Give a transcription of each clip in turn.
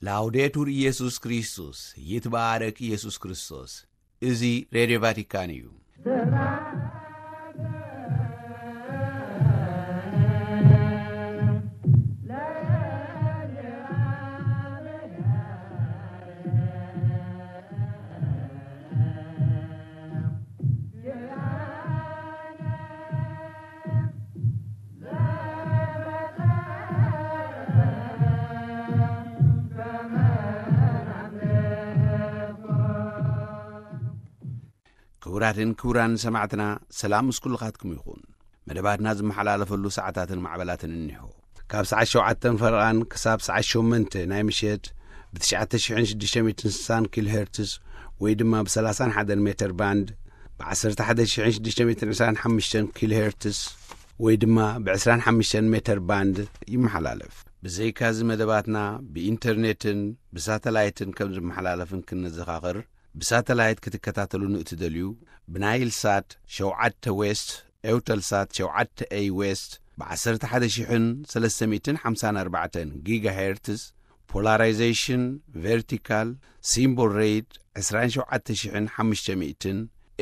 ላውዴቱር ኢየሱስ ክርስቶስ፣ ይትባረክ ኢየሱስ ክርስቶስ። እዚ ሬድዮ ቫቲካን እዩ። ክቡራትን ክቡራን ሰማዕትና፣ ሰላም ምስ ኩልኻትኩም ይኹን። መደባትና ዝመሓላለፈሉ ሰዓታትን ማዕበላትን እኒሆ። ካብ ሰዓት ሸውዓተን ፈረቓን ክሳብ ሰዓት ሸሞንተ ናይ ምሸት ብ ትሽዓተ ሽሕን ሽዱሽተ ሚእትን ስሳን ኪሎ ሄርትዝ ወይ ድማ ብ ሰላሳን ሓደን ሜተር ባንድ፣ ብ ዓሰርተ ሓደ ሽሕን ሽዱሽተ ሚእትን ዕስራን ሓሙሽተን ኪሎ ሄርትዝ ወይ ድማ ብ ዕስራን ሓሙሽተን ሜተር ባንድ ይመሓላለፍ። ብዘይካዚ መደባትና ብኢንተርኔትን ብሳተላይትን ከም ዝመሓላለፍን ክንዘኻኽር፣ ብሳተላይት ክትከታተሉ ንእትደልዩ፣ ብናይል ሳት ሸውዓተ ዌስት፣ ኤውተል ሳት ሸውዓተ ኤይ ዌስት፣ ብ ዓሰርተ ሓደ ሽሕን ሰለስተ ሚእትን ሓምሳን ኣርባዕተን ጊጋሄርትዝ፣ ፖላራይዜሽን ቨርቲካል፣ ሲምቦል ሬት ዕስራን ሸውዓተ ሽሕን ሓሙሽተ ሚእትን፣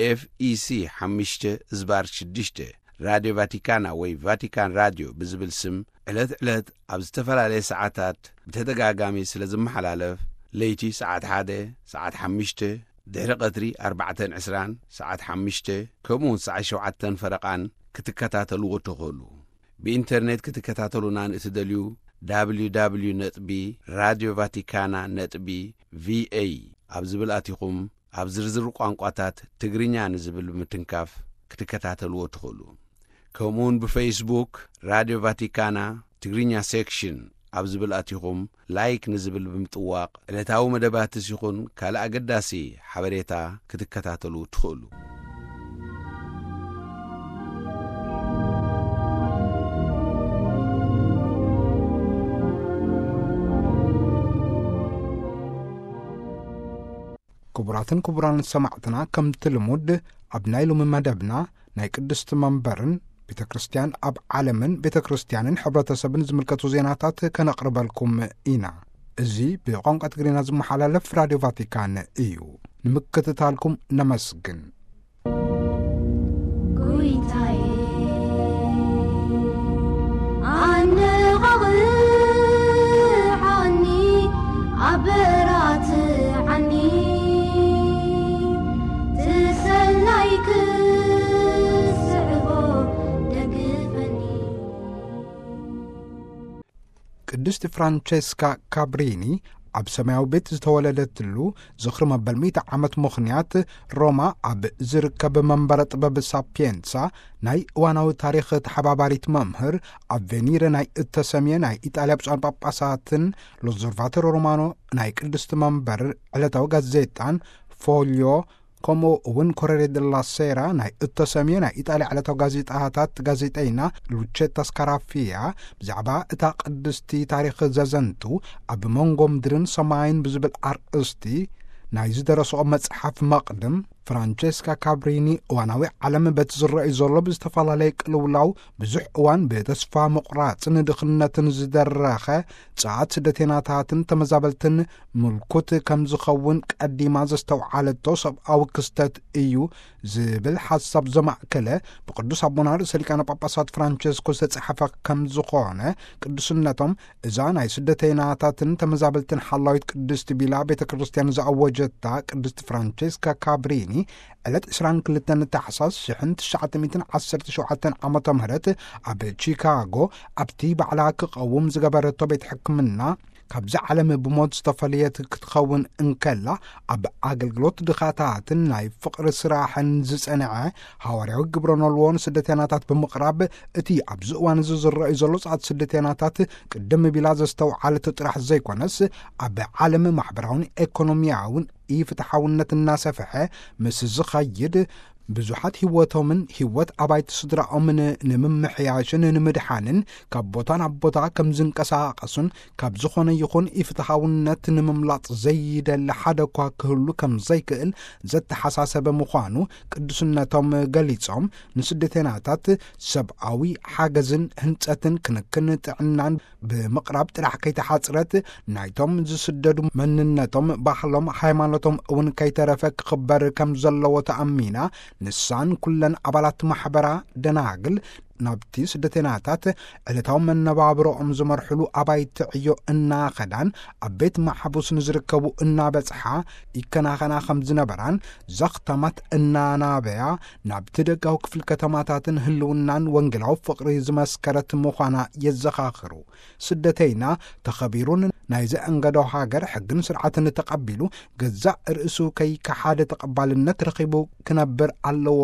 ኤፍ ኢ ሲ ሓሙሽተ ዝባር ሽዱሽተ፣ ራድዮ ቫቲካና ወይ ቫቲካን ራድዮ ብዝብል ስም ዕለት ዕለት ኣብ ዝተፈላለየ ሰዓታት ብተደጋጋሚ ስለ ዝመሓላለፍ፣ ለይቲ ሰዓት ሓደ፣ ሰዓት ሓሙሽተ፣ ድሕሪ ቀትሪ ኣርባዕተን ዕስራን፣ ሰዓት ሓሙሽተ፣ ከምኡውን ሰዓት ሸውዓተን ፈረቓን ክትከታተልዎ ትኽእሉ። ብኢንተርኔት ክትከታተሉና ንእትደልዩ፣ ደብሊው ደብሊው ደብሊው ነጥቢ ራድዮ ቫቲካና ነጥቢ ቪ ኤ ኣብ ዝብል ኣቲኹም ኣብ ዝርዝር ቋንቋታት ትግርኛ ንዝብል ብምትንካፍ ክትከታተልዎ ትኽእሉ። ከምኡውን ብፌስቡክ ራድዮ ቫቲካና ትግርኛ ሴክሽን ኣብ ዝብል ኣቲኹም ላይክ ንዝብል ብምጥዋቕ ዕለታዊ መደባትስ ይኹን ካልእ ኣገዳሲ ሓበሬታ ክትከታተሉ ትኽእሉ። ክቡራትን ክቡራን ሰማዕትና፣ ከምቲ ልሙድ ኣብ ናይ ሎሚ መደብና ናይ ቅድስቲ መንበርን ቤተ ክርስቲያን ኣብ ዓለምን ቤተ ክርስቲያንን ሕብረተሰብን ዝምልከቱ ዜናታት ከነቕርበልኩም ኢና። እዚ ብቋንቋ ትግርኛ ዝመሓላለፍ ራድዮ ቫቲካን እዩ። ንምክትታልኩም ነመስግን። ጎይታዬ፣ ኣነቓቕሓኒ፣ ኣበራትዓኒ፣ ትሰናይ ክስዕቦ ደግፈኒ። ቅድስቲ ፍራንቸስካ ካብሪኒ ኣብ ሰማያዊ ቤት ዝተወለደትሉ ዝኽሪ መበል ሚእቲ ዓመት ምኽንያት፣ ሮማ ኣብ ዝርከብ መንበረ ጥበብ ሳፒየንሳ ናይ እዋናዊ ታሪኽ ተሓባባሪት መምህር፣ ኣብ ቬኒረ ናይ እተሰምየ ናይ ኢጣልያ ብፁዓን ጳጳሳትን ሎዘርቫተሮ ሮማኖ ናይ ቅድስቲ መንበር ዕለታዊ ጋዜጣን ፎልዮ፣ ከምኡ እውን ኮረሬ ደላ ሴራ ናይ እተሰምየ ናይ ኢጣልያ ዕለታዊ ጋዜጣታት ጋዜጠይና ሉቼታ ስካራፊያ ብዛዕባ እታ ቅድስቲ ታሪኽ ዘዘንቱ፣ ኣብ መንጎ ምድርን ሰማይን ብዝብል ኣርእስቲ ናይ ዝደረስኦ መጽሓፍ መቕድም፣ ፍራንቸስካ ካብሪኒ እዋናዊ ዓለም በቲ ዝረኣዩ ዘሎ ብዝተፈላለየ ቅልውላው ብዙሕ እዋን ብተስፋ ምቑራጽን ድኽነትን ዝደረኸ ጸዓት ስደተይናታትን ተመዛበልትን ምልኩት ከም ዝኸውን ቀዲማ ዘስተውዓለቶ ሰብኣዊ ክስተት እዩ ዝብል ሓሳብ ዘማእከለ ብቅዱስ ኣቦና ርእሰ ሊቃነ ጳጳሳት ፍራንቸስኮ ዝተጻሕፈ ከም ዝኾነ፣ ቅዱስነቶም እዛ ናይ ስደተይናታትን ተመዛበልትን ሓላዊት ቅድስቲ ቢላ ቤተ ክርስቲያን ዝኣወጀታ ቅድስቲ ፍራንቸስካ ካብሪኒ ዕለት ዕስራን ክልተን ታሕሳስ ሽሕን ትሽዓተ ሚእትን ዓሰርተ ሸውዓተን ዓመተ ምህረት ኣብ ቺካጎ ኣብቲ ባዕላ ክቐውም ዝገበረቶ ቤት ሕክምና ካብዛ ዓለም ብሞት ዝተፈለየት ክትኸውን እንከላ፣ ኣብ ኣገልግሎት ድኻታትን ናይ ፍቕሪ ስራሕን ዝጸንዐ ሃዋርያዊ ግብረ ኖልዎ ንስደተይናታት ብምቕራብ፣ እቲ ኣብዚ እዋን እዚ ዝረኣዩ ዘሎ ጻዕት ስደተይናታት ቅድም ቢላ ዘስተውዓለቶ ጥራሕ ዘይኮነስ፣ ኣብ ዓለም ማሕበራውን ኤኮኖሚያውን ኢፍትሓውነት እናሰፍሐ ምስ ዝኸይድ፣ ብዙሓት ህይወቶምን ህይወት ኣባይቲ ስድራኦምን ንምምሕያሽን ንምድሓንን ካብ ቦታ ናብ ቦታ ከም ዝንቀሳቐሱን ካብ ዝኾነ ይኹን ኢፍትሓውነት ንምምላጥ ዘይደሊ ሓደ እኳ ክህሉ ከም ዘይክእል ዘተሓሳሰበ ምዃኑ ቅዱስነቶም ገሊጾም፣ ንስደተናታት ሰብኣዊ ሓገዝን ህንጸትን ክንክን ጥዕናን ብምቕራብ ጥራሕ ከይተሓጽረት፣ ናይቶም ዝስደዱ መንነቶም፣ ባህሎም፣ ሃይማኖቶም እውን ከይተረፈ ክኽበር ከም ዘለዎ ተኣሚና፣ ንሳን ኩለን ኣባላት ማሕበራ ደናግል ናብቲ ስደተናታት ዕለታዊ መነባብሮኦም ዝመርሕሉ ኣባይቲ ዕዮ እናኸዳን፣ ኣብ ቤት ማሕቡስ ንዝርከቡ እናበጽሓ ይከናኸና ከም ዝነበራን፣ ዘኽተማት እናናበያ ናብቲ ደጋዊ ክፍል ከተማታትን ህልውናን ወንጌላዊ ፍቕሪ ዝመስከረት ምዃና የዘኻኽሩ። ስደተይና ተኸቢሩን ናይ ዘእንገዶ ሃገር ሕግን ስርዓትን ተቐቢሉ፣ ገዛእ ርእሱ ከይከሓደ ተቐባልነት ረኺቡ ክነብር ኣለዎ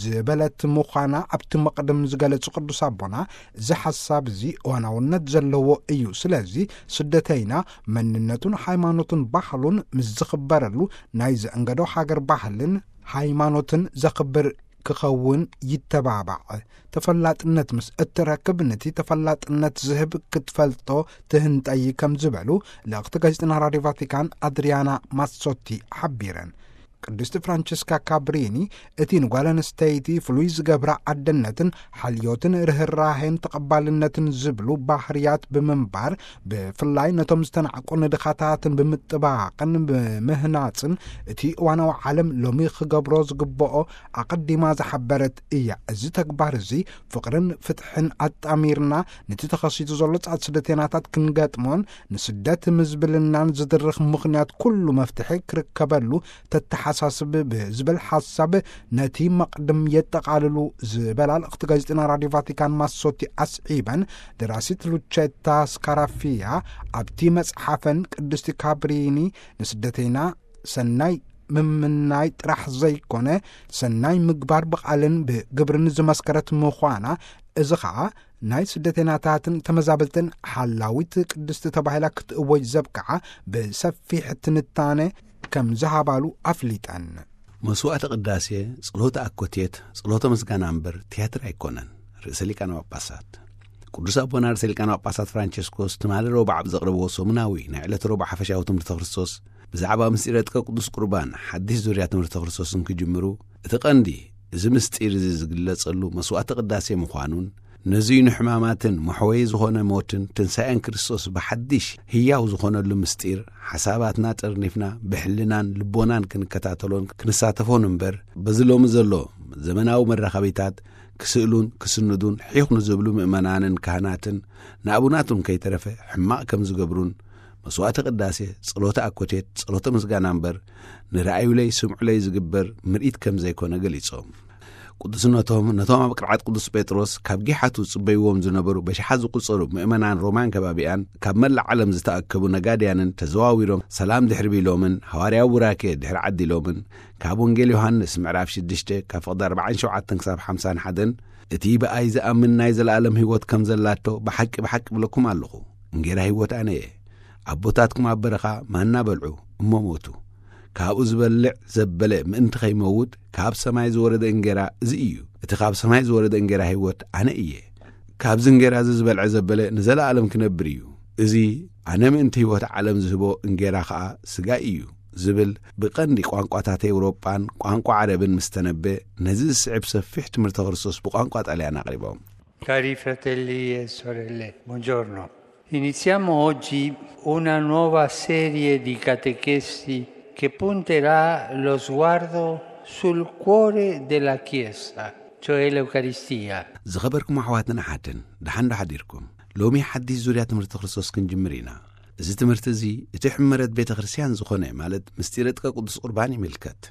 ዝበለት ምዃና ኣብቲ መቕድም ዝገለጹ ቅዱስ ኣቦና፣ እዚ ሓሳብ እዚ እዋናውነት ዘለዎ እዩ። ስለዚ ስደተይና መንነቱን ሃይማኖቱን ባህሉን ምስ ዝኽበረሉ፣ ናይ ዘእንገዶ ሃገር ባህልን ሃይማኖትን ዘኽብር ክኸውን ይተባባዕ። ተፈላጥነት ምስ እትረክብ፣ ነቲ ተፈላጥነት ዝህብ ክትፈልጦ ትህንጠይ ከም ዝበሉ ልእኽቲ ጋዜጠና ራድዮ ቫቲካን ኣድሪያና ማሶቲ ሓቢረን። ቅድስቲ ፍራንቸስካ ካብሪኒ፣ እቲ ንጓል ኣንስተይቲ ፍሉይ ዝገብራ ኣደነትን ሓልዮትን ርህራሄን ተቐባልነትን ዝብሉ ባህርያት ብምንባር፣ ብፍላይ ነቶም ዝተናዕቁ ንድኻታትን ብምጥባቕን ብምህናጽን፣ እቲ እዋናዊ ዓለም ሎሚ ክገብሮ ዝግብኦ ኣቐዲማ ዝሓበረት እያ። እዚ ተግባር እዚ ፍቕርን ፍትሕን ኣጣሚርና፣ ነቲ ተኸሲቱ ዘሎ ጻዕት ስደተናታት ክንገጥሞን ንስደት ምዝብልናን ዝድርኽ ምኽንያት ኩሉ መፍትሒ ክርከበሉ ተተሓሳስብ ብዝብል ሓሳብ፣ ነቲ መቕድም የጠቓልሉ ዝበላ ልእኽቲ ጋዜጠና ራድዮ ቫቲካን ማሶቲ ኣስዒበን፣ ደራሲት ሉቸታ ስካራፊያ ኣብቲ መጽሓፈን፣ ቅድስቲ ካብሪኒ ንስደተይና ሰናይ ምምናይ ጥራሕ ዘይኮነ፣ ሰናይ ምግባር ብቓልን ብግብርን ዝመስከረት ምዃና፣ እዚ ኸኣ ናይ ስደተናታትን ተመዛበልትን ሓላዊት ቅድስቲ ተባሂላ ክትእወጅ ዘብቅዓ ብሰፊሕ ትንታነ ከም ዝሃባሉ ኣፍሊጠን። መስዋዕተ ቅዳሴ፣ ጸሎተ ኣኮቴት፣ ጸሎተ ምስጋና እምበር ትያትር ኣይኮነን። ርእሰ ሊቃነ ጳጳሳት ቅዱስ ኣቦና ርእሰ ሊቃነ ጳጳሳት ፍራንቸስኮስ ትማሊ ረቡዕ ኣብ ዘቕረብዎ ሰሙናዊ ናይ ዕለተ ረቡዕ ሓፈሻዊ ትምህርተ ክርስቶስ ብዛዕባ ምስጢረ ጥቀ ቅዱስ ቁርባን ሓድሽ ዙርያ ትምህርተ ክርስቶስ እንክጅምሩ፣ እቲ ቀንዲ እዚ ምስጢር እዚ ዝግለጸሉ መስዋዕተ ቅዳሴ ምዃኑን፣ ነዙይ ንሕማማትን መሕወዪ ዝኾነ ሞትን ትንሳኤን ክርስቶስ ብሓድሽ ህያው ዝኾነሉ ምስጢር፣ ሓሳባትና ጠርኒፍና ብሕልናን ልቦናን ክንከታተሎን ክንሳተፎን እምበር፣ በዚ ሎሚ ዘሎ ዘመናዊ መራኸቢታት ክስእሉን ክስንዱን ሒኹ ንዝብሉ ምእመናንን ካህናትን ንኣቡናቱን ከይተረፈ ሕማቕ ከም ዝገብሩን፣ መስዋዕተ ቅዳሴ፣ ጸሎተ ኣኮቴት፣ ጸሎተ ምስጋና እምበር፣ ንረኣዩለይ ስምዑለይ ዝግበር ምርኢት ከም ዘይኮነ ገሊጾም። ቅዱስነቶም ነቶም ኣብ ቅርዓት ቅዱስ ጴጥሮስ ካብ ጊሓቱ ጽበይዎም ዝነበሩ በሽሓት ዝቁጸሩ ምእመናን ሮማን ከባቢኣን ካብ መላእ ዓለም ዝተኣከቡ ነጋድያንን ተዘዋዊሮም ሰላም ድሕሪ ቢሎምን ሃዋርያዊ ቡራኬ ድሕሪ ዓዲሎምን ካብ ወንጌል ዮሃንስ ምዕራፍ ሽዱሽተ ካብ ፍቕዲ ኣርባዓን ሸውዓተን ክሳብ ሓምሳን ሓደን እቲ ብኣይ ዝኣምን ናይ ዘለኣለም ህይወት ከም ዘላቶ ብሓቂ ብሓቂ እብለኩም ኣለኹ፣ እንጌራ ህይወት ኣነ እየ። ኣቦታትኩም ኣብ በረኻ ማና በልዑ እሞ ሞቱ። ካብኡ ዝበልዕ ዘበለ ምእንቲ ኸይመውት ካብ ሰማይ ዝወረደ እንጌራ እዚ እዩ። እቲ ካብ ሰማይ ዝወረደ እንጌራ ህይወት ኣነ እየ። ካብዚ እንጌራ እዚ ዝበልዐ ዘበለ ንዘለኣለም ክነብር እዩ። እዚ ኣነ ምእንቲ ህይወት ዓለም ዝህቦ እንጌራ ኸኣ ስጋይ እዩ ዝብል ብቐንዲ ቋንቋታት ኤውሮጳን ቋንቋ ዓረብን ምስ ተነበ፣ ነዚ ዝስዕብ ሰፊሕ ትምህርተ ክርስቶስ ብቋንቋ ጣልያን ኣቕሪቦም። Cari fratelli e sorelle, buongiorno. Iniziamo oggi una nuova serie di catechesi che punterà lo sguardo sul cuore della Chiesa, cioè l'Eucaristia. ዝኸበርኩም ኣሕዋትን ኣሓትን፣ ደሓን ዶ ሓዲርኩም? ሎሚ ሓድሽ ዙርያ ትምህርቲ ክርስቶስ ክንጅምር ኢና። እዚ ትምህርቲ እዚ እቲ ሕመረት ቤተ ክርስቲያን ዝኾነ፣ ማለት ምስጢረ ጥቀ ቅዱስ ቁርባን ይምልከት።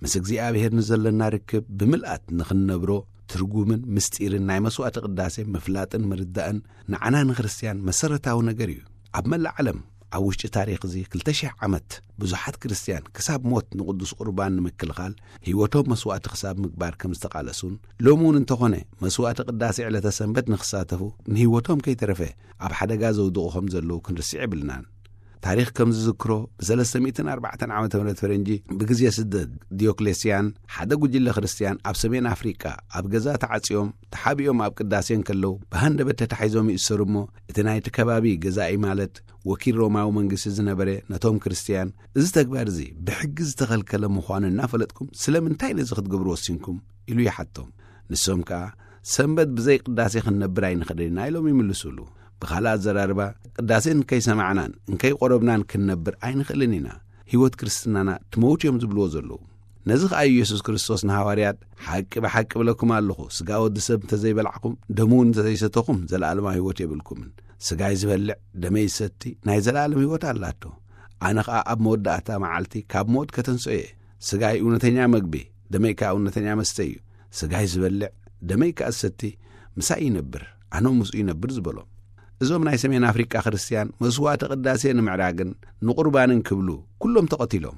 ምስ እግዚኣብሔር ንዘለና ርክብ ብምልኣት ንኽንነብሮ፣ ትርጉምን ምስጢርን ናይ መስዋዕቲ ቅዳሴ ምፍላጥን ምርዳእን ንዓና ንክርስትያን መሰረታዊ ነገር እዩ። ኣብ መላእ ዓለም ኣብ ውሽጢ ታሪኽ እዚ ክልተ ሽሕ ዓመት ብዙሓት ክርስትያን ክሳብ ሞት ንቅዱስ ቁርባን ንምክልኻል ህይወቶም መስዋዕቲ ክሳብ ምግባር ከም ዝተቓለሱን፣ ሎሚ እውን እንተኾነ መስዋዕቲ ቅዳሴ ዕለተ ሰንበት ንክሳተፉ ንህይወቶም ከይተረፈ ኣብ ሓደጋ ዘውድቑ ከም ዘለዉ ክንርስዕ የብልናን። ታሪኽ ከም ዝዝክሮ፣ ብ304 ዓመተ ምህረት ፈረንጂ፣ ብግዜ ስደት ዲዮክሌስያን፣ ሓደ ጉጅለ ክርስትያን ኣብ ሰሜን ኣፍሪቃ ኣብ ገዛ ተዓጽዮም ተሓቢኦም ኣብ ቅዳሴ እንከለዉ፣ ብሃንደበት ተታሒዞም ይእሰሩ እሞ፣ እቲ ናይቲ ከባቢ ገዛኢ፣ ማለት ወኪል ሮማዊ መንግስቲ ዝነበረ፣ ነቶም ክርስትያን፣ "እዚ ተግባር እዚ ብሕጊ ዝተኸልከለ ምዃኑ እናፈለጥኩም ስለምንታይ ነዚ ክትገብሩ ወሲንኩም?" ኢሉ ይሓቶም። ንሶም ከኣ፣ "ሰንበት ብዘይ ቅዳሴ ክንነብር ኣይንኽእልን ኢና" ኢሎም ይምልሱሉ። ብኻልእ ኣዘራርባ፣ ቅዳሴ እንከይሰማዕናን እንከይቆረብናን ክንነብር ኣይንኽእልን ኢና። ህይወት ክርስትናና ትመውት እዮም ዝብልዎ ዘለዉ። ነዚ ኸኣ ኢየሱስ ክርስቶስ ንሃዋርያት፣ "ሓቂ ብሓቂ እብለኩም ኣለኹ፣ ስጋ ወዲ ሰብ እንተዘይበላዕኩም፣ ደሙ እውን እንተዘይሰተኹም፣ ዘለኣለማዊ ህይወት የብልኩምን። ስጋይ ዝበልዕ፣ ደመይ ዝሰቲ፣ ናይ ዘለኣለም ህይወት ኣላቶ። ኣነ ኸኣ ኣብ መወዳእታ መዓልቲ ካብ ሞት ከተንስኦ እየ። ስጋይ እውነተኛ መግቢ፣ ደመይ ከኣ እውነተኛ መስተ እዩ። ስጋይ ዝበልዕ፣ ደመይ ከኣ ዝሰቲ፣ ምሳይ ይነብር፣ ኣነ ምስኡ ይነብር" ዝበሎም። እዞም ናይ ሰሜን ኣፍሪቃ ክርስትያን፣ መስዋዕተ ቅዳሴ ንምዕራግን ንቁርባንን ክብሉ፣ ኩሎም ተቐቲሎም።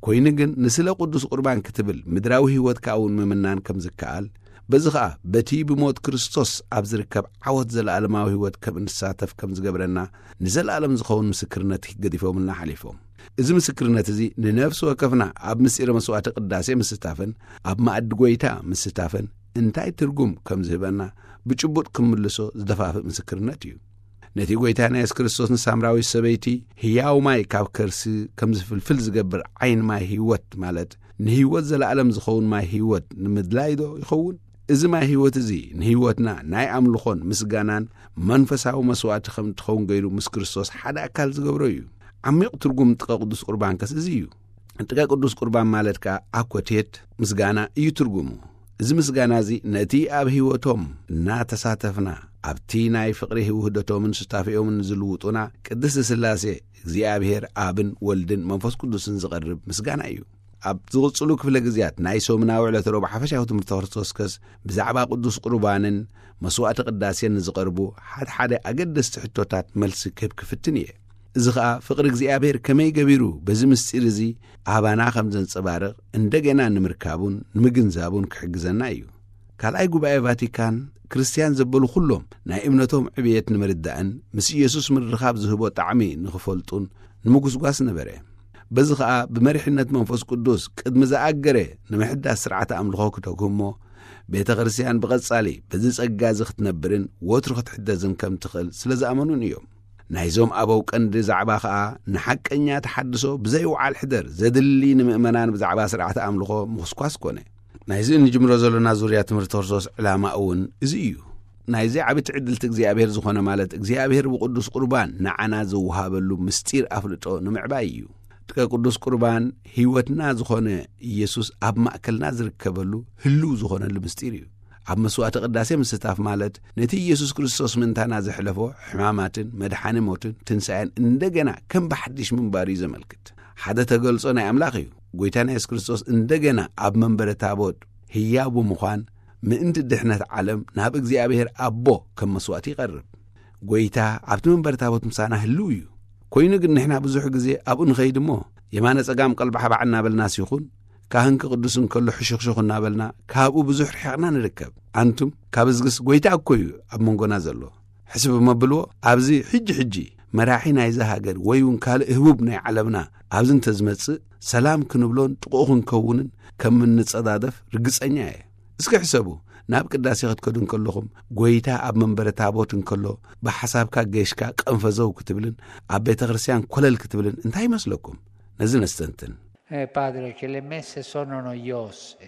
ኮይኑ ግን፣ ንስለ ቅዱስ ቁርባን ክትብል፣ ምድራዊ ህይወትካ እውን ምምናን ከም ዝከኣል፣ በዚ ኸኣ፣ በቲ ብሞት ክርስቶስ ኣብ ዝርከብ ዓወት ዘለኣለማዊ ህይወት ከም እንሳተፍ ከም ዝገብረና፣ ንዘለኣለም ዝኸውን ምስክርነት ገዲፎምልና ሓሊፎም። እዚ ምስክርነት እዚ፣ ንነፍሲ ወከፍና ኣብ ምስጢረ መስዋዕተ ቅዳሴ ምስታፍን ኣብ መኣዲ ጐይታ ምስታፍን እንታይ ትርጉም ከም ዝህበና፣ ብጭቡጥ ክምልሶ ዝደፋፍእ ምስክርነት እዩ። ነቲ ጐይታና የሱስ ክርስቶስ ንሳምራዊት ሰበይቲ፣ "ህያው ማይ ካብ ከርሲ ከም ዝፍልፍል ዝገብር ዓይን ማይ ህይወት" ማለት፣ ንህይወት ዘለኣለም ዝኸውን ማይ ህይወት ንምድላይ ዶ ይኸውን? እዚ ማይ ህይወት እዚ፣ ንህይወትና ናይ ኣምልኾን ምስጋናን መንፈሳዊ መስዋዕቲ ከም እትኸውን ገይሩ፣ ምስ ክርስቶስ ሓደ ኣካል ዝገብሮ እዩ። ዓሚቕ ትርጉም ጥቀ ቅዱስ ቁርባን ከስ እዚ እዩ። ጥቀ ቅዱስ ቁርባን ማለት ከኣ፣ ኣኮቴት ምስጋና እዩ ትርጉሙ። እዚ ምስጋና እዚ፣ ነቲ ኣብ ህይወቶም እናተሳተፍና፣ ኣብቲ ናይ ፍቕሪ ውህደቶምን ሱታፌኦምን ዝልውጡና፣ ቅድስቲ ስላሴ፣ እግዚኣብሔር ኣብን ወልድን መንፈስ ቅዱስን ዝቐርብ ምስጋና እዩ። ኣብ ዝቕጽሉ ክፍለ ግዜያት ናይ ሰሙናዊ ዕለተ ረቡዕ ሓፈሻዊ ትምህርቲ ክርስቶስ ከስ፣ ብዛዕባ ቅዱስ ቁርባንን መስዋዕቲ ቅዳሴን ንዝቐርቡ ሓደ ሓደ ኣገደስቲ ሕቶታት መልሲ ክህብ ክፍትን እየ። እዚ ኸኣ፣ ፍቕሪ እግዚኣብሔር ከመይ ገቢሩ በዚ ምስጢር እዚ ኣባና ከም ዘንጸባርቕ፣ እንደገና ንምርካቡን ንምግንዛቡን ክሕግዘና እዩ። ካልኣይ ጉባኤ ቫቲካን፣ ክርስትያን ዘበሉ ኩሎም ናይ እምነቶም ዕብየት ንምርዳእን ምስ ኢየሱስ ምርኻብ ዝህቦ ጣዕሚ ንኽፈልጡን ንምጉስጓስ ነበረ። በዚ ኸኣ፣ ብመሪሕነት መንፈስ ቅዱስ ቅድሚ ዝኣገረ ንምሕዳስ ስርዓተ ኣምልኾ ክተግህሞ፣ ቤተ ክርስትያን ብቐጻሊ በዚ ጸጋ እዚ ክትነብርን ወትሩ ክትሕደዝን ከም ትኽእል ስለ ዝኣመኑን እዮም። ናይዞም ኣበው ቀንዲ ዛዕባ ኸኣ፣ ንሓቀኛ ተሓድሶ ብዘይ ውዓል ሕደር ዘድሊ፣ ንምእመናን ብዛዕባ ስርዓተ ኣምልኾ ምኹስኳስ ኮነ። ናይዚ እንጅምሮ ዘሎና ዙርያ ትምህርቲ ክርስቶስ ዕላማ እውን እዚ እዩ። ናይዚ ዓቢ ትዕድልቲ እግዚኣብሔር ዝኾነ፣ ማለት እግዚኣብሔር ብቅዱስ ቁርባን ንዓና ዝወሃበሉ ምስጢር ኣፍልጦ ንምዕባይ እዩ። ጥቀ ቅዱስ ቁርባን ህይወትና ዝኾነ ኢየሱስ ኣብ ማእከልና ዝርከበሉ ህልው ዝኾነሉ ምስጢር እዩ። ኣብ መስዋዕቲ ቅዳሴ ምስታፍ፣ ማለት ነቲ ኢየሱስ ክርስቶስ ምእንታና ዘሕለፎ ሕማማትን መድሓኒ ሞትን ትንሳኤን እንደገና ከም ብሓድሽ ምንባር እዩ ዘመልክት። ሓደ ተገልጾ ናይ ኣምላኽ እዩ። ጎይታና የሱስ ክርስቶስ እንደገና ኣብ መንበረ ታቦት ህያው ብምዃን፣ ምእንቲ ድሕነት ዓለም ናብ እግዚኣብሔር ኣቦ ከም መስዋዕቲ ይቐርብ። ጎይታ ኣብቲ መንበረ ታቦት ምሳና ህልው እዩ። ኮይኑ ግን ንሕና ብዙሕ ግዜ ኣብኡ ንኸይድ እሞ፣ የማነ ጸጋም ቀልባሕባዕ እናበልናስ ይኹን፣ ካህን ክቕድስ እንከሎ ሕሹኽሹኽ እናበልና ካብኡ ብዙሕ ርሒቕና ንርከብ። ኣንቱም፣ ካብ እዝግስ ጎይታ እኮ እዩ ኣብ መንጎና ዘሎ። ሕስብ እሞ ብልዎ፣ ኣብዚ ሕጂ ሕጂ መራሒ ናይዛ ሃገር ወይ እውን ካልእ ህቡብ ናይ ዓለምና ኣብዚ እንተዝመጽእ፣ ሰላም ክንብሎን ጥቕኡ ክንከውንን ከም እንጸዳደፍ ርግጸኛ እየ። እስኪ ሕሰቡ፣ ናብ ቅዳሴ ክትከዱ እንከለኹም፣ ጎይታ ኣብ መንበረ ታቦት እንከሎ፣ ብሓሳብካ ጌሽካ ቀንፈዘው ክትብልን ኣብ ቤተ ክርስቲያን ኮለል ክትብልን እንታይ ይመስለኩም? ነዚ ነስተንትን። Eh, padre, che le messe sono noiose.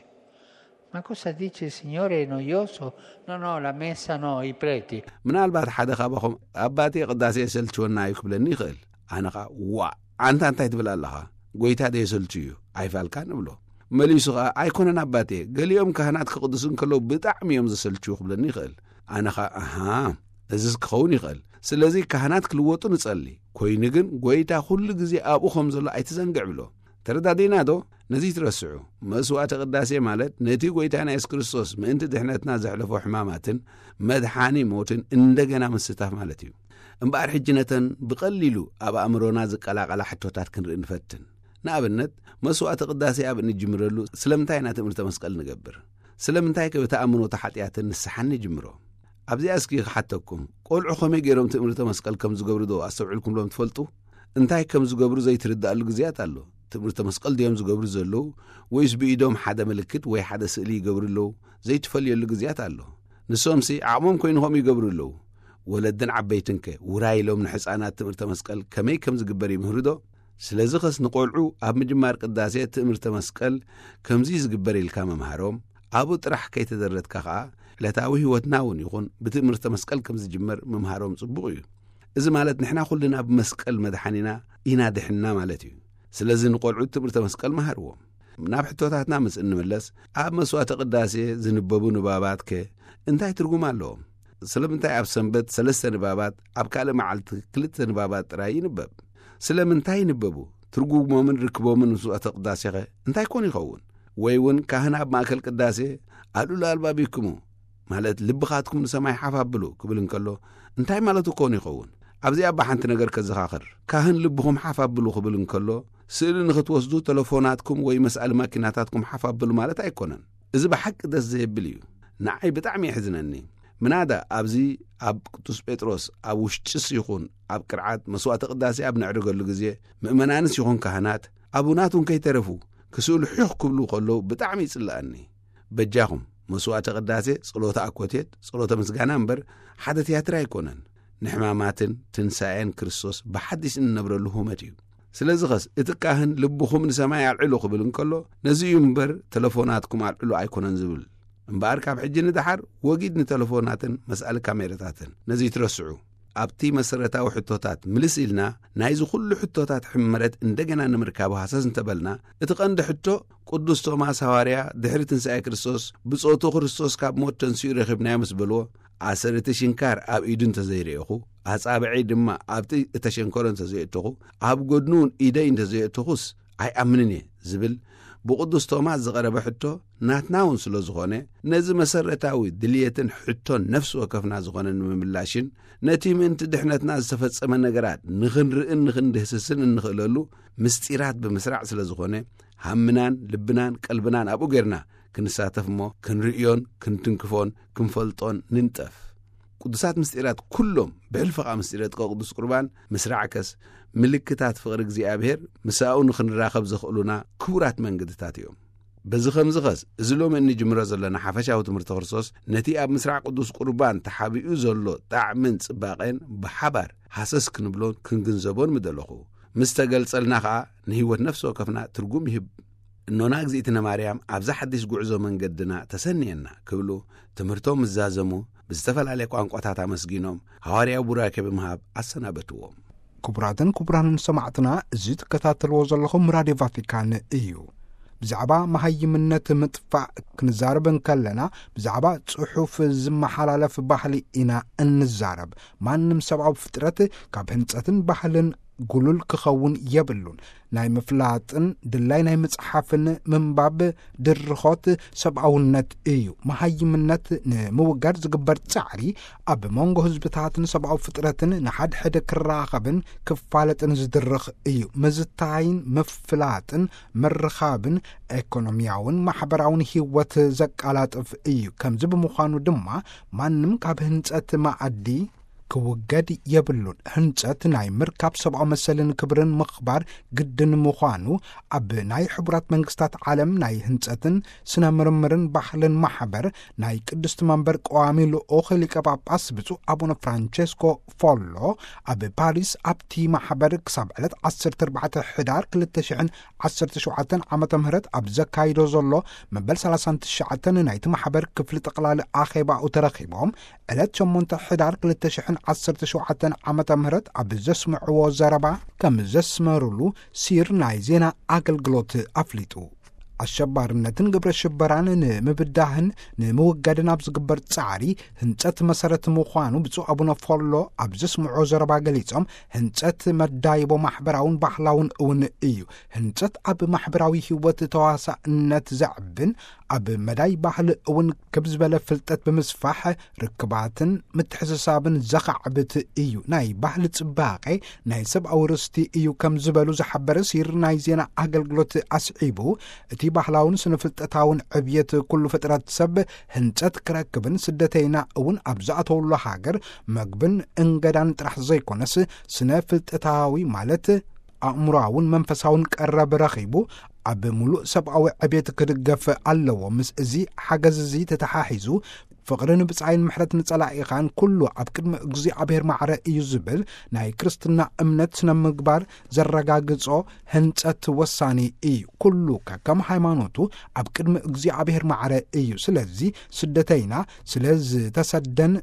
Ma cosa dice il Signore è noioso? No, no, la messa no, i preti. ምናልባት ሓደ ካባኹም፣ "ኣባቴ ቅዳሴ የሰልችወና እዩ" ክብለኒ ይኽእል። ኣነ ኸኣ፣ "ዋእ፣ ኣንታ እንታይ ትብል ኣለኻ? ጎይታ ዶ የሰልቹ እዩ? ኣይፋልካን" እብሎ። መሊሱ ኸኣ፣ "ኣይኮነን ኣባቴ፣ ገሊኦም ካህናት ክቕድሱ እንከለዉ ብጣዕሚ እዮም ዘሰልችዉ" ክብለኒ ይኽእል። ኣነ ኸኣ፣ "ኣሃ፣ እዝስ ክኸውን ይኽእል። ስለዚ ካህናት ክልወጡ ንጸሊ። ኮይኑ ግን ጎይታ ኩሉ ግዜ ኣብኡ ከም ዘሎ ኣይትዘንግዕ" እብሎ። ተረዳዲእና ዶ? ነዚ ትረስዑ። መስዋዕቲ ቅዳሴ ማለት ነቲ ጎይታና የሱስ ክርስቶስ ምእንቲ ድሕነትና ዘሕለፎ ሕማማትን መድሓኒ ሞትን እንደገና ምስታፍ ማለት እዩ። እምበኣር ሕጂ ነተን ብቐሊሉ ኣብ ኣእምሮና ዝቀላቐላ ሕቶታት ክንርኢ ንፈትን። ንኣብነት፣ መስዋዕቲ ቅዳሴ ኣብ እንጅምረሉ ስለምንታይ ኢና ትእምርተ መስቀል ንገብር? ስለምንታይ ከ ብተኣምኖተ ሓጢኣትን ንስሓን ንጅምሮ? ኣብዚኣ እስኪ ክሓተኩም፣ ቆልዑ ከመይ ገይሮም ትእምርተ መስቀል ከም ዝገብሩ ዶ ኣስተውዒልኩምሎም ትፈልጡ? እንታይ ከም ዝገብሩ ዘይትርዳኣሉ ግዜያት ኣሎ። ትምህርተ መስቀል ድዮም ዝገብሩ ዘለዉ፣ ወይስ ብኢዶም ሓደ ምልክት ወይ ሓደ ስእሊ ይገብሩ ኣለዉ? ዘይትፈልየሉ ግዜያት ኣሎ። ንሶምሲ ዓቕሞም ኮይኑ ከምኡ ይገብሩ ኣለዉ። ወለድን ዓበይትንከ ውራይ ኢሎም ንሕፃናት ትምህርተ መስቀል ከመይ ከም ዝግበር ይምህሩ ዶ? ስለዚ ኸስ ንቖልዑ ኣብ ምጅማር ቅዳሴ ትምህርተ መስቀል ከምዚ ዝግበር ኢልካ ምምሃሮም፣ ኣብኡ ጥራሕ ከይተደረትካ ኸኣ ዕለታዊ ህይወትና እውን ይኹን ብትምህርተ መስቀል ከም ዝጅመር ምምሃሮም ጽቡቕ እዩ። እዚ ማለት ንሕና ኩልና ብመስቀል መድሓኒና ኢና ድሕንና ማለት እዩ። ስለዚ ንቆልዑት ትምህርተ መስቀል መሃርዎም። ናብ ሕቶታትና ምስ እንምለስ፣ ኣብ መስዋዕተ ቅዳሴ ዝንበቡ ንባባት ከ እንታይ ትርጉም ኣለዎም? ስለምንታይ ኣብ ሰንበት ሰለስተ ንባባት፣ ኣብ ካልእ መዓልቲ ክልተ ንባባት ጥራይ ይንበብ? ስለምንታይ ይንበቡ? ትርጉሞምን ርክቦምን ምስ መስዋዕተ ቅዳሴ ኸ እንታይ ኮን ይኸውን? ወይ እውን ካህን ኣብ ማእከል ቅዳሴ "ኣልዕሉ ኣልባቢክሙ" ማለት "ልብኻትኩም ንሰማይ ሓፍ ኣብሉ" ክብል እንከሎ፣ እንታይ ማለቱ ኮን ይኸውን? ኣብዚኣ እባ ሓንቲ ነገር ከዘኻኽር። ካህን "ልብኹም ሓፍ ኣብሉ" ክብል እንከሎ፣ ስእሊ ንኽትወስዱ ተለፎናትኩም ወይ መስኣሊ ማኪናታትኩም ሓፍ ኣብሉ ማለት ኣይኮነን። እዚ ብሓቂ ደስ ዘየብል እዩ። ንዓይ ብጣዕሚ የሕዝነኒ። ምናዳ ኣብዚ ኣብ ቅዱስ ጴጥሮስ ኣብ ውሽጥስ ይኹን ኣብ ቅርዓት መስዋዕተ ቅዳሴ ኣብ ነዕርገሉ ግዜ፣ ምእመናንስ ይኹን ካህናት፣ ኣቡናት እውን ከይተረፉ ክስእሉ ሒኽ ክብሉ ከለዉ ብጣዕሚ ይጽልኣኒ። በጃኹም፣ መስዋዕተ ቅዳሴ ጸሎተ ኣኮቴት፣ ጸሎተ ምስጋና እምበር ሓደ ትያትር ኣይኮነን። ንሕማማትን ትንሳኤን ክርስቶስ ብሓዲስ እንነብረሉ ሁመት እዩ። ስለዚ ኸስ እቲ ካህን "ልብኹም ንሰማይ ኣልዕሉ" ክብል እንከሎ፣ ነዚ እዩ እምበር "ተለፎናትኩም ኣልዕሉ" ኣይኮነን ዝብል። እምበኣር ካብ ሕጂ ንደሓር ወጊድ ንተለፎናትን መስኣሊ ካሜራታትን። ነዚ ይትረስዑ። ኣብቲ መሰረታዊ ሕቶታት ምልስ ኢልና፣ ናይዚ ኩሉ ሕቶታት ሕመረት እንደገና ንምርካቡ ሃሰስ እንተበልና፣ እቲ ቀንዲ ሕቶ፣ ቅዱስ ቶማስ ሃዋርያ ድሕሪ ትንሳኤ ክርስቶስ፣ "ብጾቱ ክርስቶስ ካብ ሞት ተንሲኡ ረኺብናዮ" ምስ በልዎ፣ ኣሰር እቲ ሽንካር ኣብ ኢዱ እንተዘይረኤኹ፣ ኣጻብዐይ ድማ ኣብቲ እተሸንከሮ እንተዘየእተኹ፣ ኣብ ጎድኑ እውን ኢደይ እንተዘየእተኹስ ኣይኣምንን እየ ዝብል ብቅዱስ ቶማስ ዝቐረበ ሕቶ ናትና እውን ስለ ዝኾነ፣ ነዚ መሰረታዊ ድልየትን ሕቶን ነፍሲ ወከፍና ዝኾነ ንምምላሽን፣ ነቲ ምእንቲ ድሕነትና ዝተፈጸመ ነገራት ንኽንርእን ንኽንድህስስን እንኽእለሉ ምስጢራት ብምስራዕ ስለ ዝኾነ፣ ሃምናን ልብናን ቀልብናን ኣብኡ ጌርና ክንሳተፍ እሞ፣ ክንርእዮን ክንትንክፎን ክንፈልጦን ንንጠፍ። ቅዱሳት ምስጢራት ኩሎም፣ ብሕልፊ ኸኣ ምስጢረ ጥቀ ቅዱስ ቁርባን ምስራዕከስ፣ ምልክታት ፍቕሪ እግዚኣብሔር ምሳኡ ንኽንራኸብ ዘኽእሉና ክቡራት መንገድታት እዮም። በዚ ኸምዚ ኸስ፣ እዚ ሎሚ እንጅምሮ ዘለና ሓፈሻዊ ትምህርቲ ክርስቶስ፣ ነቲ ኣብ ምስራዕ ቅዱስ ቁርባን ተሓቢኡ ዘሎ ጣዕምን ጽባቐን ብሓባር ሃሰስ ክንብሎን ክንግንዘቦን ምደለኹ። ምስ ተገልጸልና ኸኣ፣ ንህይወት ነፍሲ ወከፍና ትርጉም ይህብ። እኖና እግዚኣብነ ማርያም ኣብዛ ሓድሽ ጉዕዞ መንገድና ተሰንየና ክብሉ ትምህርቶም ምስ ዛዘሙ ብዝተፈላለየ ቋንቋታት ኣመስጊኖም ሃዋርያዊ ቡራኬ ብምሃብ ኣሰናበትዎም። ክቡራትን ክቡራንን ሰማዕትና፣ እዚ ትከታተልዎ ዘለኹም ራድዮ ቫቲካን እዩ። ብዛዕባ መሃይምነት ምጥፋእ ክንዛረብ እንከለና፣ ብዛዕባ ጽሑፍ ዝመሓላለፍ ባህሊ ኢና እንዛረብ። ማንም ሰብኣዊ ፍጥረት ካብ ህንጸትን ባህልን ጉሉል ክኸውን የብሉን። ናይ ምፍላጥን ድላይ ናይ ምጽሓፍን ምንባብ ድርኾት ሰብኣውነት እዩ። መሃይምነት ንምውጋድ ዝግበር ጻዕሪ ኣብ መንጎ ህዝብታትን ሰብኣዊ ፍጥረትን ንሓድሕድ ክራኸብን ክፋለጥን ዝድርኽ እዩ። ምዝታይን ምፍላጥን ምርኻብን ኤኮኖሚያውን ማሕበራውን ህይወት ዘቃላጥፍ እዩ። ከምዚ ብምዃኑ ድማ ማንም ካብ ህንጸት መኣዲ ክውገድ የብሉን። ህንጸት ናይ ምርካብ ሰብኣዊ መሰልን ክብርን ምኽባር ግድን ምዃኑ ኣብ ናይ ሕቡራት መንግስታት ዓለም ናይ ህንጸትን ስነ ምርምርን ባህልን ማሕበር ናይ ቅድስቲ መንበር ቀዋሚ ልኡኽ ሊቀ ጳጳስ ብፁዕ ኣቡነ ፍራንቸስኮ ፎሎ ኣብ ፓሪስ ኣብቲ ማሕበር ክሳብ ዕለት ዓሰርተ ኣርባዕተ ሕዳር ክልተ ሽሕን ዓሰርተ ሸውዓተን ዓመተ ምህረት ኣብ ዘካይዶ ዘሎ መበል ሰላሳን ትሽዓተን ናይቲ ማሕበር ክፍሊ ጠቕላሊ ኣኼባኡ ተረኺቦም፣ ዕለት ሸሞንተ ሕዳር ክልተ ሽሕን ዓሰርተ ሸውዓተን ዓመተ ምህረት ኣብ ዘስምዕዎ ዘረባ ከም ዘስመሩሉ ሲር ናይ ዜና ኣገልግሎት ኣፍሊጡ። ኣሸባርነትን ግብረ ሽበራን ንምብዳህን ንምውጋድን ኣብ ዝግበር ጻዕሪ ህንጸት መሰረት ምዃኑ ብፁዕ ኣቡነ ፎሎ ኣብ ዘስምዖ ዘረባ ገሊጾም፣ ህንጸት መዳይቦ ማሕበራውን ባህላውን እውን እዩ። ህንጸት ኣብ ማሕበራዊ ህይወት ተዋሳእነት ዘዕብን ኣብ መዳይ ባህሊ እውን ክብ ዝበለ ፍልጠት ብምስፋሕ ርክባትን ምትሕስሳብን ዘኻዕብት እዩ። ናይ ባህሊ ጽባቐ ናይ ሰብኣዊ ርስቲ እዩ ከም ዝበሉ ዝሓበረ ሲር ናይ ዜና ኣገልግሎት ኣስዒቡ፣ እቲ ባህላውን ስነ ፍልጠታውን ዕብየት ኩሉ ፍጥረት ሰብ ህንጸት ክረክብን ስደተይና እውን ኣብ ዝኣተውሉ ሃገር መግብን እንገዳን ጥራሕ ዘይኮነስ ስነ ፍልጠታዊ ማለት ኣእምሮኣውን መንፈሳውን ቀረብ ረኺቡ ኣብ ምሉእ ሰብኣዊ ዕብየት ክድገፍ ኣለዎ። ምስ እዚ ሓገዝ እዚ ተተሓሒዙ ፍቕርን ብጻይን ምሕረት ንጸላኢኻን ኩሉ ኣብ ቅድሚ እግዚኣብሔር ማዕረ እዩ ዝብል ናይ ክርስትና እምነት ስነ ምግባር ዘረጋግጾ ህንጸት ወሳኒ እዩ። ኩሉ ከከም ሃይማኖቱ ኣብ ቅድሚ እግዚኣብሔር ማዕረ እዩ። ስለዚ ስደተይና ስለ ዝተሰደን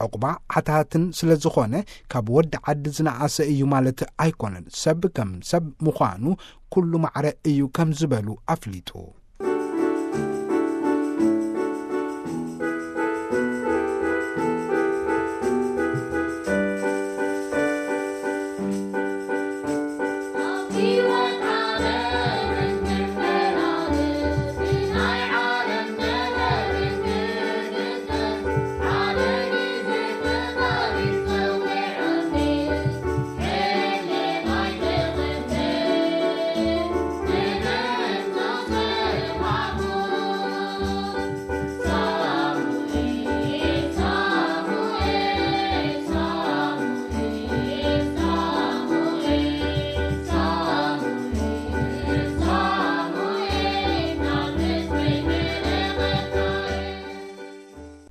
ዕቑባ ሓታትን ስለ ዝኾነ ካብ ወዲ ዓዲ ዝነኣሰ እዩ ማለት ኣይኮነን። ሰብ ከም ሰብ ምዃኑ ኩሉ ማዕረ እዩ ከም ዝበሉ ኣፍሊጡ።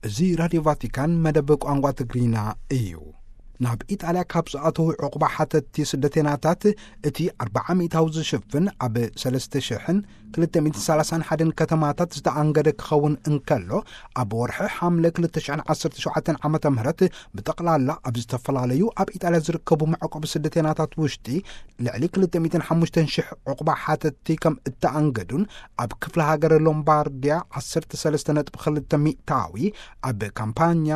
እዚ ራድዮ ቫቲካን መደብ ቋንቋ ትግርኛ እዩ። ናብ ኢጣልያ ካብ ዝኣተዉ ዕቑባ ሓተትቲ ስደተናታት እቲ ኣርብዓ ሚእታዊ ዝሽፍን ኣብ ሰለስተ ሽሕን ክልተ ሚእትን ሰላሳን ሓደን ከተማታት ዝተኣንገደ ክኸውን እንከሎ፣ ኣብ ወርሒ ሓምለ ክልተ ሽሕን ዓሰርተ ሸውዓተን ዓመተ ምህረት ብጠቕላላ ኣብ ዝተፈላለዩ ኣብ ኢጣልያ ዝርከቡ መዕቆቢ ስደተናታት ውሽጢ ልዕሊ ክልተ ሚእትን ሓሙሽተን ሽሕ ዕቑባ ሓተትቲ ከም እተኣንገዱን ኣብ ክፍለ ሃገር ሎምባርድያ ዓሰርተ ሰለስተ ነጥቢ ክልተ ሚእታዊ፣ ኣብ ካምፓኛ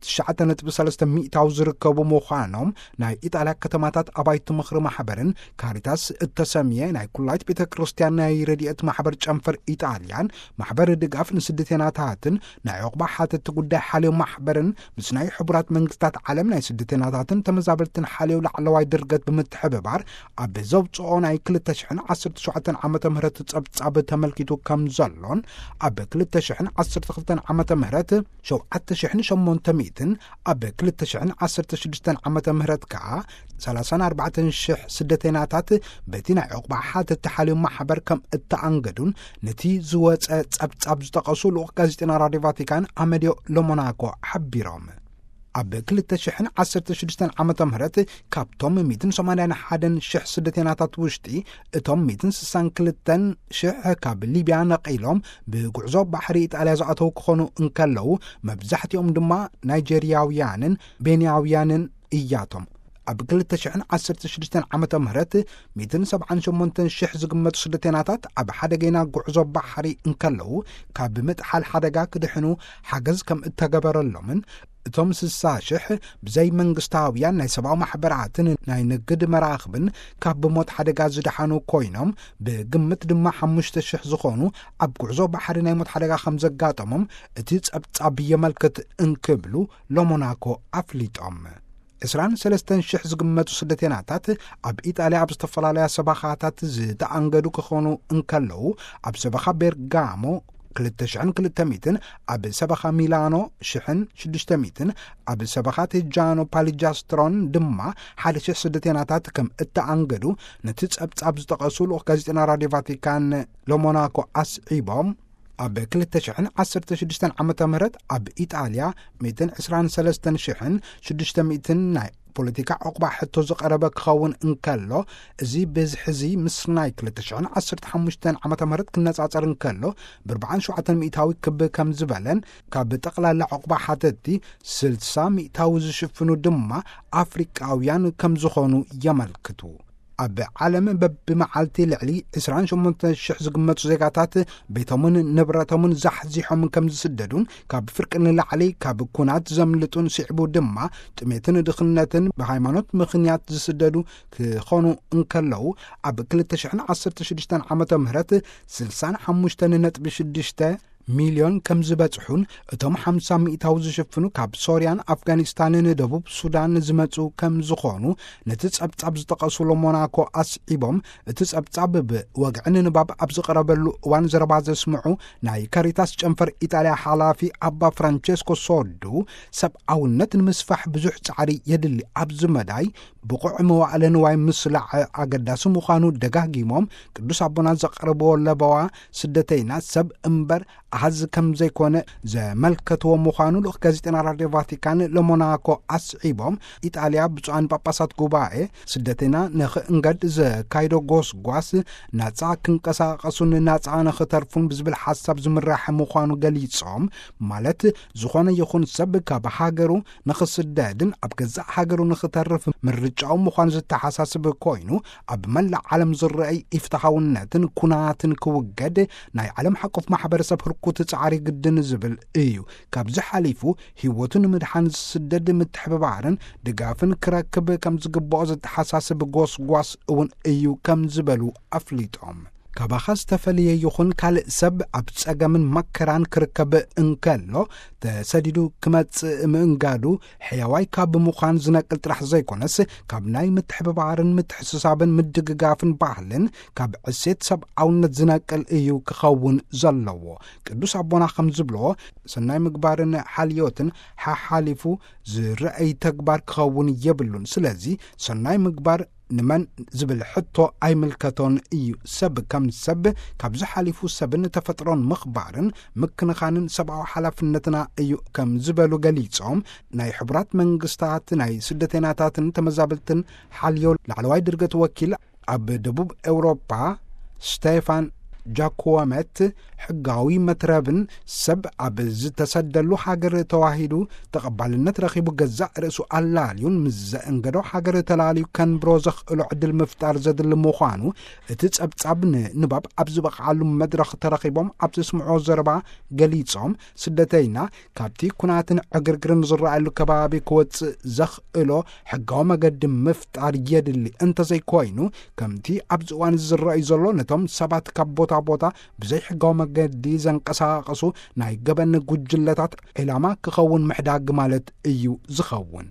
ትሽዓተ ነጥቢ ሰለስተ ሚእታዊ ዝርከቡ ምዃኖም ናይ ኢጣልያ ከተማታት ኣባይቲ ምኽሪ ማሕበርን ካሪታስ እተሰምየ ናይ ኩላይት ቤተ ክርስቲያን ናይ ረድኤት ማሕበር ጨንፈር ኢጣልያን ማሕበር ድጋፍ ንስደተናታትን ናይ ዕቑባ ሓተቲ ጉዳይ ሓልዮ ማሕበርን ምስ ናይ ሕቡራት መንግስታት ዓለም ናይ ስደተናታትን ተመዛበልትን ሓልዮ ላዕለዋይ ድርገት ብምትሕብባር ኣብ ዘውፅኦ ናይ ክልተ ሽሕን ዓሰርተ ሸውዓተን ዓመተ ምህረት ጸብጻብ ተመልኪቱ ከም ዘሎን ኣብ ክልተ ሽሕን ዓሰርተ ክልተን ዓመተ ምህረት ሸውዓተ ሽሕን ሸሞንተ ሚእትን ኣብ ክልተ ሽሕን ዓሰርተ ሽዱሽተን ዓመተ ምህረት ከኣ ሰላሳን ኣርባዕተን ሽሕ ስደተናታት በቲ ናይ ዕቑባ ሓተቲ ሓልዮ ማሕበር ከም እተኣንገዱን ነቲ ዝወጸ ጸብጻብ ዝጠቐሱ ልኡኽ ጋዜጠና ራድዮ ቫቲካን ኣመድዮ ሎሞናኮ ሓቢሮም። ኣብ ክልተ ሽሕን ዓሰርተ ሽዱሽተን ዓመተ ምህረት ካብቶም ሚእትን ሰማንያን ሓደን ሽሕ ስደተናታት ውሽጢ እቶም ሚእትን ስሳን ክልተን ሽሕ ካብ ሊብያ ነቒሎም ብጉዕዞ ባሕሪ ኢጣልያ ዝኣተዉ ክኾኑ እንከለዉ፣ መብዛሕትኦም ድማ ናይጀርያውያንን ቤንያውያንን እያቶም። ኣብ ክልተ ሽሕን ዓሰርተ ሽዱሽተን ዓመተ ምህረት ሚእትን ሰብዓን ሸሞንተን ሽሕ ዝግመቱ ስደተናታት ኣብ ሓደገና ጉዕዞ ባሕሪ እንከለዉ፣ ካብ ምጥሓል ሓደጋ ክድሕኑ ሓገዝ ከም እተገበረሎምን፣ እቶም ስሳ ሽሕ ብዘይ መንግስታውያን ናይ ሰብኣዊ ማሕበራትን ናይ ንግድ መራኽብን ካብ ብሞት ሓደጋ ዝደሓኑ ኮይኖም፣ ብግምት ድማ ሓሙሽተ ሽሕ ዝኾኑ ኣብ ጉዕዞ ባሕሪ ናይ ሞት ሓደጋ ከም ዘጋጠሞም እቲ ጸብጻብ የመልክት እንክብሉ ሎሞናኮ ኣፍሊጦም። ዕስራን ሰለስተን ሽሕ ዝግመቱ ስደተናታት ኣብ ኢጣልያ ኣብ ዝተፈላለያ ሰበኻታት ዝተኣንገዱ ክኾኑ እንከለዉ፣ ኣብ ሰበኻ ቤርጋሞ ክልተ ሽሕን ክልተ ሚእትን፣ ኣብ ሰበኻ ሚላኖ ሽሕን ሽዱሽተ ሚእትን፣ ኣብ ሰበኻ ቴጃኖ ፓሊጃስትሮን ድማ ሓደ ሽሕ ስደተናታት ከም እተኣንገዱ ነቲ ጸብጻብ ዝጠቐሱ ልኡኽ ጋዜጠና ራድዮ ቫቲካን ሎሞናኮ ኣስዒቦም፣ ኣብ ክልተ ሽሕን ዓሰርተ ሽዱሽተን ዓመተ ምህረት ኣብ ኢጣልያ ሚእትን ዕስራን ሰለስተን ሽሕን ሽዱሽተ ሚእትን ናይ ፖለቲካ ዕቑባ ሕቶ ዝቐረበ ክኸውን እንከሎ፣ እዚ ብዝሒ እዚ ምስ ናይ ክልተ ሽሕን ዓሰርተ ሓሙሽተን ዓመተ ምህረት ክነጻጸር እንከሎ፣ ብኣርብዓን ሸውዓተን ሚእታዊ ክብ ከም ዝበለን፣ ካብ ጠቕላላ ዕቑባ ሓተትቲ ስልሳ ሚእታዊ ዝሽፍኑ ድማ ኣፍሪቃውያን ከም ዝኾኑ የመልክቱ። ኣብ ዓለም በብመዓልቲ ልዕሊ ዕስራን ሸሞንተ ሽሕ ዝግመቱ ዜጋታት ቤቶምን ንብረቶምን ዛሕዚሖም ከም ዝስደዱን፣ ካብ ፍርቂ ንላዕሊ ካብ ኩናት ዘምልጡን፣ ስዒቡ ድማ ጥሜትን ድኽነትን ብሃይማኖት ምኽንያት ዝስደዱ ክኾኑ እንከለዉ፣ ኣብ ክልተ ሽሕን ዓሰርተ ሽዱሽተን ዓመተ ምህረት ስልሳን ሓሙሽተን ነጥቢ ሽዱሽተ ሚልዮን ከም ዝበጽሑን፣ እቶም ሓምሳ ሚእታዊ ዝሽፍኑ ካብ ሶርያን ኣፍጋኒስታንን ደቡብ ሱዳን ዝመጹ ከም ዝኾኑ ነቲ ጸብጻብ ዝጠቐሱ ሎሞናኮ ኣስዒቦም፣ እቲ ጸብጻብ ብወግዒ ንንባብ ኣብ ዝቐረበሉ እዋን ዘረባ ዘስምዑ ናይ ካሪታስ ጨንፈር ኢጣልያ ሓላፊ ኣባ ፍራንቸስኮ ሶዱ፣ ሰብኣውነት ንምስፋሕ ብዙሕ ጻዕሪ የድሊ ኣብዚ መዳይ ብቑዕ መዋእለ ንዋይ ምስላዕ ኣገዳሲ ምዃኑ ደጋጊሞም፣ ቅዱስ ኣቦና ዘቕርብዎ ለበዋ፣ ስደተይና ሰብ እምበር ኣሃዝ ከም ዘይኮነ ዘመልከትዎ ምዃኑ ልኡኽ ጋዜጠና ራድዮ ቫቲካን ለሞናኮ ኣስዒቦም፣ ኢጣልያ ብፁዓን ጳጳሳት ጉባኤ ስደተይና ንኽእንገድ ዘካይዶ ጎስጓስ ናጻ ክንቀሳቐሱን ናጻ ንኽተርፉን ብዝብል ሓሳብ ዝምራሕ ምዃኑ ገሊጾም፣ ማለት ዝኾነ ይኹን ሰብ ካብ ሃገሩ ንኽስደድን ኣብ ገዛእ ሃገሩ ንኽተርፍ ምርጫኡ ምዃኑ ዝተሓሳስብ ኮይኑ፣ ኣብ መላእ ዓለም ዝረኣይ ኢፍትሓውነትን ኩናትን ክውገድ ናይ ዓለም ሓቆፍ ማሕበረሰብ ህርኩት ጻዕሪ ግድን ዝብል እዩ። ካብዚ ሓሊፉ ህይወቱ ንምድሓን ዝስደድ ምትሕብባርን ድጋፍን ክረክብ ከም ዝግብኦ ዝተሓሳስብ ጎስጓስ እውን እዩ ከም ዝበሉ ኣፍሊጦም። ካባኻ ዝተፈልየ ይኹን ካልእ ሰብ ኣብ ጸገምን መከራን ክርከብ እንከሎ፣ ተሰዲዱ ክመጽእ ምእንጋዱ፣ ሕያዋይ ካብ ምዃን ዝነቅል ጥራሕ ዘይኮነስ፣ ካብ ናይ ምትሕብባርን ምትሕስሳብን ምድግጋፍን ባህልን ካብ ዕሴት ሰብኣውነት ዝነቅል እዩ ክኸውን ዘለዎ። ቅዱስ ኣቦና ከም ዝብልዎ፣ ሰናይ ምግባርን ሓልዮትን ሓሓሊፉ ዝረኣይ ተግባር ክኸውን የብሉን። ስለዚ ሰናይ ምግባር ንመን ዝብል ሕቶ ኣይምልከቶን እዩ። ሰብ ከም ሰብ ካብዚ ሓሊፉ ሰብን ተፈጥሮን ምኽባርን ምክንኻንን ሰብኣዊ ሓላፍነትና እዩ ከም ዝበሉ ገሊጾም፣ ናይ ሕቡራት መንግስታት ናይ ስደተይናታትን ተመዛበልትን ሓልዮ ላዕለዋይ ድርገት ወኪል ኣብ ደቡብ ኤውሮጳ ስቴፋን ጃኮመት፣ ሕጋዊ መትረብን ሰብ ኣብ ዝተሰደሉ ሃገር ተዋሂዱ ተቐባልነት ረኺቡ ገዛእ ርእሱ ኣላልዩን ምስ ዘእንገዶ ሃገር ተላልዩ ከንብሮ ዘኽእሎ ዕድል ምፍጣር ዘድሊ ምዃኑ እቲ ጸብጻብ ንንባብ ኣብ ዝበቕዓሉ መድረኽ ተረኺቦም ኣብ ዘስምዖ ዘረባ ገሊጾም፣ ስደተይና ካብቲ ኩናትን ዕግርግርን ዝረኣየሉ ከባቢ ክወጽእ ዘኽእሎ ሕጋዊ መገዲ ምፍጣር የድሊ። እንተዘይኮይኑ፣ ከምቲ ኣብዚ እዋን እዚ ዝረኣዩ ዘሎ፣ ነቶም ሰባት ካብ ቦታ ቦታ ብዘይሕጋዊ መገዲ ዘንቀሳቐሱ ናይ ገበን ጉጅለታት ዒላማ ክኸውን ምሕዳግ ማለት እዩ ዝኸውን።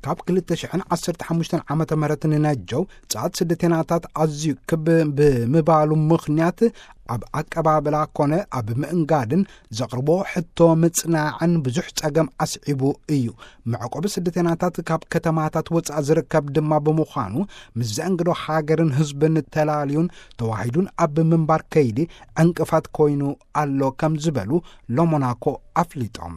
ካብ ክልተ ሽሕን ዓሰርተ ሓሙሽተን ዓመተ ምህረት ንነጀው፣ ጸዓት ስደተይናታት ኣዝዩ ክብ ብምባሉ ምኽንያት፣ ኣብ ኣቀባብላ ኮነ ኣብ ምእንጋድን ዘቕርቦ ሕቶ ምጽናዕን ብዙሕ ጸገም ኣስዒቡ እዩ። መዕቆቢ ስደተይናታት ካብ ከተማታት ወጻኢ ዝርከብ ድማ ብምዃኑ፣ ምስ ዘእንግዶ ሃገርን ህዝብን ተላልዩን ተዋሂዱን ኣብ ምንባር ከይዲ ዕንቅፋት ኮይኑ ኣሎ ከም ዝበሉ ሎሞናኮ ኣፍሊጦም።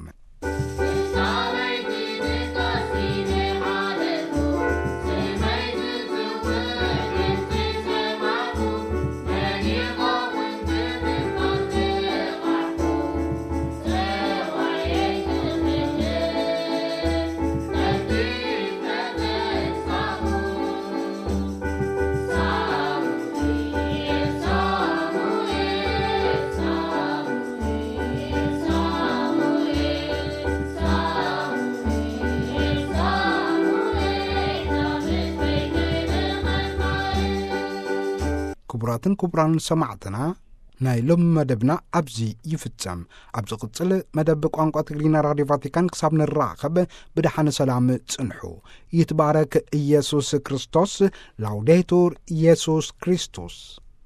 ክቡራትን ክቡራን ሰማዕትና፣ ናይ ሎሚ መደብና ኣብዚ ይፍጸም። ኣብ ዝቕጽል መደብ ቋንቋ ትግርኛ ራድዮ ቫቲካን ክሳብ ንራኸብ ብደሓነ ሰላም ጽንሑ። ይትባረክ ኢየሱስ ክርስቶስ። ላውዴቱር ኢየሱስ ክርስቶስ።